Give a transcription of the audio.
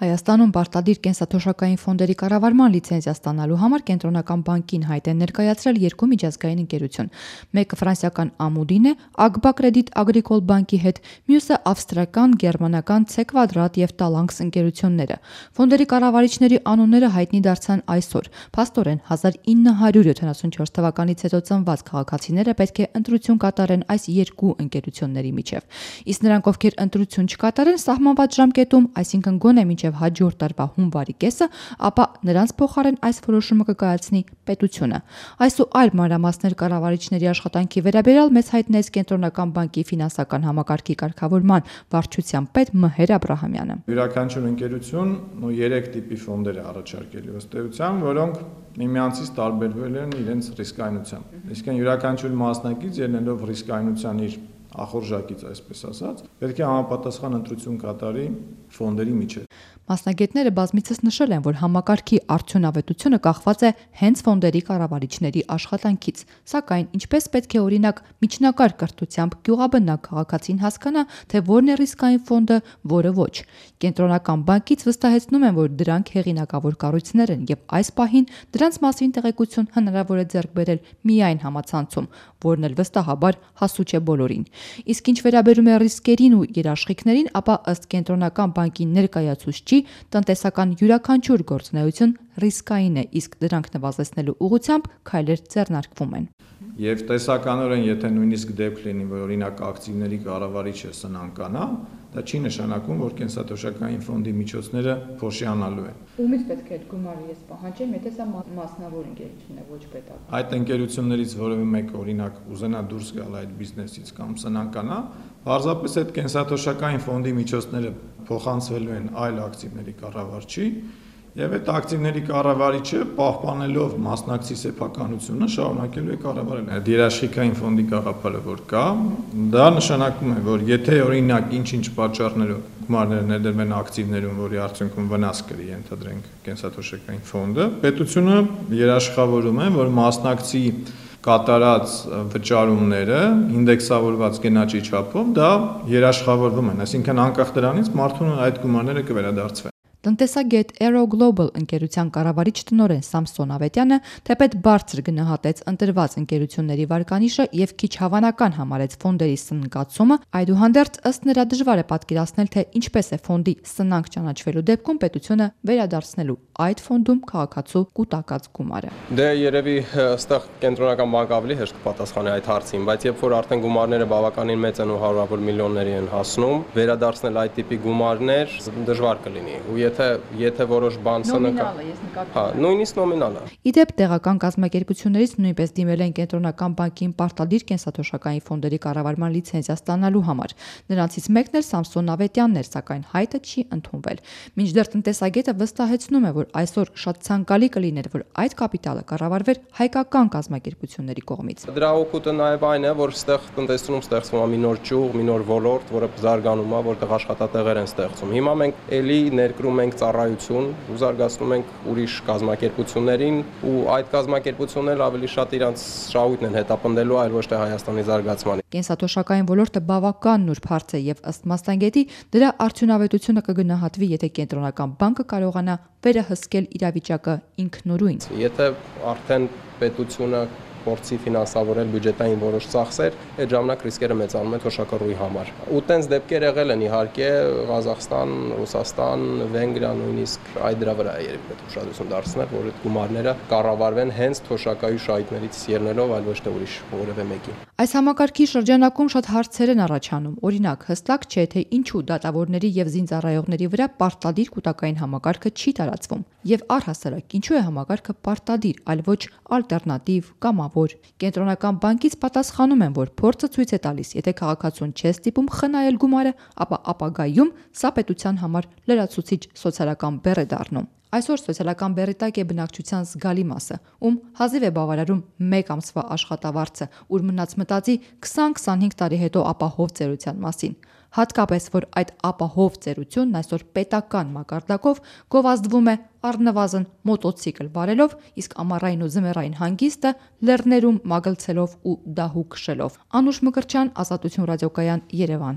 Հայաստանում պարտադիր կենսաթոշակային ֆոնդերի կառավարման լիցենզիա ստանալու համար Կենտրոնական բանկին հայտ են ներկայացրել երկու միջազգային ընկերություն։ Մեկը ֆրանսիական Ամուդին է, Ագբա Կրեդիտ Ագրիկոլ բանկի հետ, մյուսը ավստրիական, գերմանական C Quadrat և Talanx ընկերությունները։ Ֆոնդերի կառավարիչների անունները հայտնի դարձան այսօր։ Փաստորեն 1974 թվականից հետո ծնված քաղաքացիները պետք է ընտրություն կատարեն այս երկու ընկերությունների միջև։ Իսկ նրանք, ովքեր ընտրություն չկատարեն սահմանված ժամկետում, այսինքն գոնե մինչև հաջորդ տարվա հունվարի կեսը, ապա նրանց փոխարեն այս որոշումը կկայացնի պետությունը։ Այս ու այլ մանրամասներ կառավարիչների աշխատանքի վերաբերյալ մեծ հայտնեց Կենտրոնական բանկի ֆինանսական համակարգի կարգավորման վարչության պետ Մհեր Աբրահամյանը։ Յուրաքանչյուր ընկերություն 3 տիպի ֆոնդեր է առաջարկել ըստ էության, որոնք միմյանցից տարբերվել են իրենց ռիսկայնությամբ։ Իսկ յուրաքանչյուր մասնակից ելնելով ռիսկայնության իր ախորժակից, այսպես ասած, պետք է համապատասխան ընտրություն կատարի ֆոնդերի միջև։ Մասնագետները բազմիցս նշել են, որ համակարգի արդյունավետությունը կախված է հենց ֆոնդերի կառավարիչների աշխատանքից, սակայն ինչպես պետք է օրինակ միջնակարգ կրթությամբ գյուղաբնակ քաղաքացին հասկանա, թե որն է ռիսկային ֆոնդը, որը ոչ։ Կենտրոնական բանկից վստահեցնում են, որ դրանք հեղինակավոր կառույցներ են եւ այս պահին դրանց մասին տեղեկություն հնարավոր է ձեռք բերել միայն համացանցում, որն էլ վստահաբար հասու չէ բոլորին։ Իսկ ինչ վերաբերում է ռիսկերին ու երաշխիքներին, ապա ըստ Կենտրոնական բանկի ներկայացուցչի տնտեսական յուրաքանչյուր գործունեություն ռիսկային է, իսկ դրանք նվազեցնելու ուղղությամբ քայլեր ձեռնարկվում են։ Եվ տեսականորեն, եթե նույնիսկ դեպք լինի, որ օրինակ ակտիվների կառավարիչը սնանկանա, դա չի նշանակում, որ կենսաթոշակային ֆոնդի միջոցները փոշիանալու են։ Ումից պետք է այդ գումարը ես պահանջեմ, եթե սա մասնավոր ընկերություն է, ոչ պետական։ Այդ ընկերություններից որևէ մեկը օրինակ ուզենա դուրս գալ այդ բիզնեսից կամ սնանկանա, պարզապես այդ կենսաթոշակային ֆոնդի միջոցները փոխանցվելու են այլ ակտիվների կառավարչի, եւ այդ ակտիվների կառավարիչը պահպանելով մասնակցի սեփականությունը շարունակելու է կառավարել։ Այդ երաշխիքային ֆոնդի գաղափարը որ կա, դա նշանակում է, որ եթե օրինակ ինչ-ինչ պատճառներով գումարները ներդրվեն ակտիվներում, որի արդյունքում վնաս կրի, ենթադրենք կենսաթոշակային ֆոնդը, պետությունը երաշխավորում է, որ մասնակցի կատարած վճարումները ինդեքսավորված գնաճի չափով դա երաշխավորվում են, այսինքն անկախ դրանից մարդուն այդ գումարները կվերադարձվեն։ Տնտեսագետ Aero Global ընկերության կառավարիչ տնօրեն Սամսոն Ավետյանը թեպետ բարձր գնահատեց ընտրված ընկերությունների վարկանիշը եւ քիչ հավանական համարեց ֆոնդերի սննկացումը, այդուհանդերձ ըստ նրա դժվար է պատկերացնել, թե ինչպես է ֆոնդի սնանկ ճանաչվելու դեպքում պետությունը վերադարձնելու այդ ֆոնդում քաղաքացու կուտակած գումարը։ Դե երևի ըստեղ Կենտրոնական բանկը ավելի հեշտ կպատասխանի այդ հարցին, բայց երբ որ արդեն գումարները բավականին մեծ են ու հարյուրավոր միլիոնների են հասնում, վերադարձնել այդ տիպի գումարներ դժվար կլինի։ Ու եթե որոշ բան սննկա, նույնիսկ նոմինալ է։ Իդեպ տեղական կազմակերպություններից նույնպես դիմել են Կենտրոնական բանկին պարտադիր կենսաթոշակային ֆոնդերի կառավարման լիցենզիա ստանալու համար։ Նրանցից մեկն էլ Սամսոն Ավետյանն էր, սակայն հայտը չի ընդունվել։ Մինչդեռ տնտեսագետը վստահեցնում է, որ այսօր շատ ցանկալի կլիներ, որ այդ կապիտալը կառավարվեր հայկական կազմակերպությունների կողմից։ Դրա օգուտը նաև այն է, որ ստեղ տնտեսությունում ստեղծվում է մի նոր ճյուղ, մի նոր ոլորտ, որը զարգանում է, որտեղ աշխատատեղեր են ստեղծում։ Հիմա մենք էլի ներկրում ենք ծառայություն ու զարգացնում ենք ուրիշ կազմակերպություններին ու այդ կազմակերպությունները ավելի շատ իրանց շահույթն են հետապնդելու, այլ ոչ թե Հայաստանի զարգացմանը։ Կենսաթոշակային ոլորտը բավական նուրբ հարց է եւ ըստ մասնագետի դրա արդյունավետությունը կգնահատվի, եթե Կենտրոնական բանկը կարողանա վերահսկել իրավիճակը ինքնուրույն։ Եթե արդեն պետությունը փորձի ֆինանսավորել բյուջետային որոշ ծախսեր, այդ ժամանակ ռիսկերը մեծանում են թոշակառուի համար։ Ու տենց դեպքեր եղել են իհարկե Ղազախստան, Ռուսաստան, Վենգրիա նույնիսկ այդ դրա վրա է երբ պետք ուշադրություն դարձնել, որ այդ գումարները կառավարվեն հենց թոշակայի շահույթներից ելնելով, այլ ոչ թե ուրիշ որևէ մեկի։ Այս համակարգի շրջանակում շատ հարցեր են առաջանում։ Օրինակ, հստակ չէ, թե ինչու դատավորների եւ զինծառայողների վրա պարտադիր կൂട്ടակային համակարգը չի տարածվում։ Եվ առհասարակ, ինչու է համակարգը պարտադիր, այլ ոչ ալտերնատիվ կամ Կենտրոնական բանկից պատասխանում են, որ փորձը ցույց է տալիս, եթե քաղաքացուն չէ ստիպում խնայել գումարը, ապա ապագայում սա պետության համար լրացուցիչ սոցիալական բեռ է դառնում։ Այսօր սոցիալական բեռի տակ է բնակչության զգալի մասը, ում հազիվ է բավարարում 1 ամսվա աշխատավարձը, ուր մնաց մտածի 20-25 տարի հետո ապահով ծերության մասին։ Հատկապես, որ այդ ապահով ծերությունն այսօր պետական մակարդակով գովազդվում է առնվազն մոտոցիկլ վարելով, իսկ ամառային ու ձմեռային հանգիստը լեռներում մագլցելով ու դահու քշելով։ Անուշ Մկրտչյան, Ազատություն ռադիոկայան, Երևան։